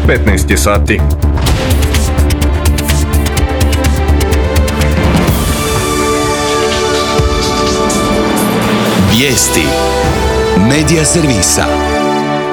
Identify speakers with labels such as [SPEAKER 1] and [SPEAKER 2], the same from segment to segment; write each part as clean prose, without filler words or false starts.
[SPEAKER 1] 15 je sati.
[SPEAKER 2] Vijesti Medija servisa.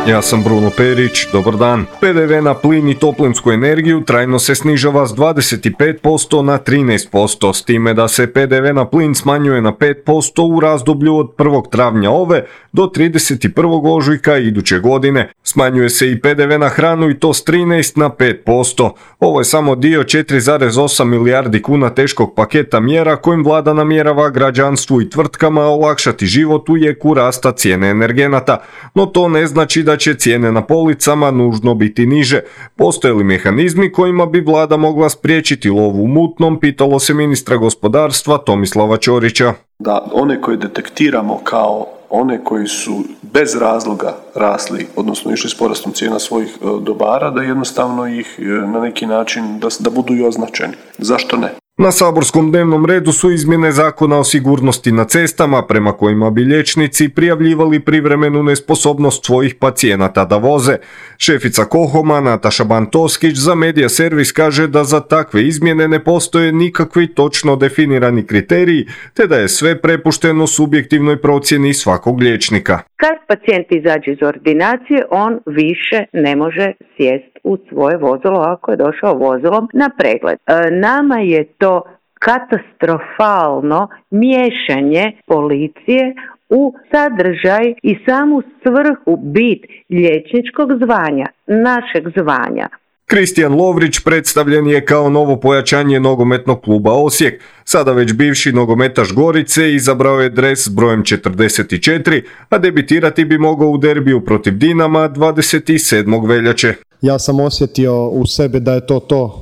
[SPEAKER 1] Ja sam Bruno Perić, dobar dan. PDV na plin i toplinsku energiju trajno se snižava s 25% na 13%, s time da se PDV na plin smanjuje na 5% u razdoblju od 1. travnja ove do 31. ožujka iduće godine. Smanjuje se i PDV na hranu i to s 13 na 5%. Ovo je samo dio 4,8 milijardi kuna teškog paketa mjera kojim vlada namjerava građanstvu i tvrtkama olakšati život u jeku rasta cijene energenata. No to ne znači da će cijene na policama nužno biti niže. Postoje li mehanizmi kojima bi vlada mogla spriječiti lov u mutnom, pitalo se ministra gospodarstva Tomislava Ćorića.
[SPEAKER 3] Da one koje detektiramo kao one koji su bez razloga rasli, odnosno išli s porastom cijena svojih dobara, da jednostavno ih na neki način da budu i označeni. Zašto ne?
[SPEAKER 1] Na saborskom dnevnom redu su izmjene zakona o sigurnosti na cestama prema kojima bi liječnici prijavljivali privremenu nesposobnost svojih pacijenata da voze. Šefica KOHOM-a Nataša Bantoskić za Medija servis kaže da za takve izmjene ne postoje nikakvi točno definirani kriteriji, te da je sve prepušteno subjektivnoj procjeni svakog liječnika.
[SPEAKER 4] Kad pacijent izađe iz ordinacije, on više ne može sjesti u svoje vozilo ako je došao vozilom na pregled. Nama je to katastrofalno miješanje policije u sadržaj i samu svrhu, bit liječničkog zvanja, našeg zvanja.
[SPEAKER 1] Kristijan Lovrić predstavljen je kao novo pojačanje nogometnog kluba Osijek. Sada već bivši nogometaš Gorice izabrao je dres s brojem 44, a debitirati bi mogao u derbiju protiv Dinama 27. veljače.
[SPEAKER 5] Ja sam osjetio u sebi da je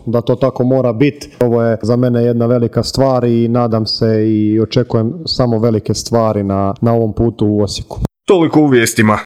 [SPEAKER 5] da to tako mora biti. Ovo je za mene jedna velika stvar i nadam se i očekujem samo velike stvari na ovom putu u Osijeku.
[SPEAKER 1] Toliko u vijestima.